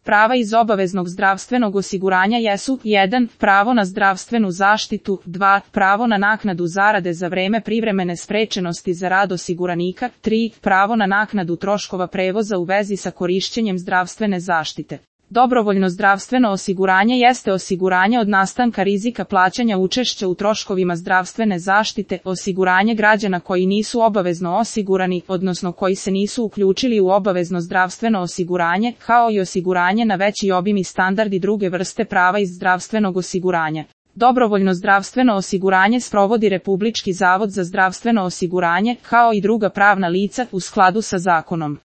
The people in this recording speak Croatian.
Prava iz obaveznog zdravstvenog osiguranja jesu: 1. Pravo na zdravstvenu zaštitu, 2. Pravo na naknadu zarade za vreme privremene sprečenosti za rad osiguranika, 3. Pravo na naknadu troškova prevoza u vezi sa korišćenjem zdravstvene zaštite. Dobrovoljno zdravstveno osiguranje jeste osiguranje od nastanka rizika plaćanja učešća u troškovima zdravstvene zaštite, osiguranje građana koji nisu obavezno osigurani, odnosno koji se nisu uključili u obavezno zdravstveno osiguranje, kao i osiguranje na veći obim i standard i druge vrste prava iz zdravstvenog osiguranja. Dobrovoljno zdravstveno osiguranje sprovodi Republički zavod za zdravstveno osiguranje, kao i druga pravna lica, u skladu sa zakonom.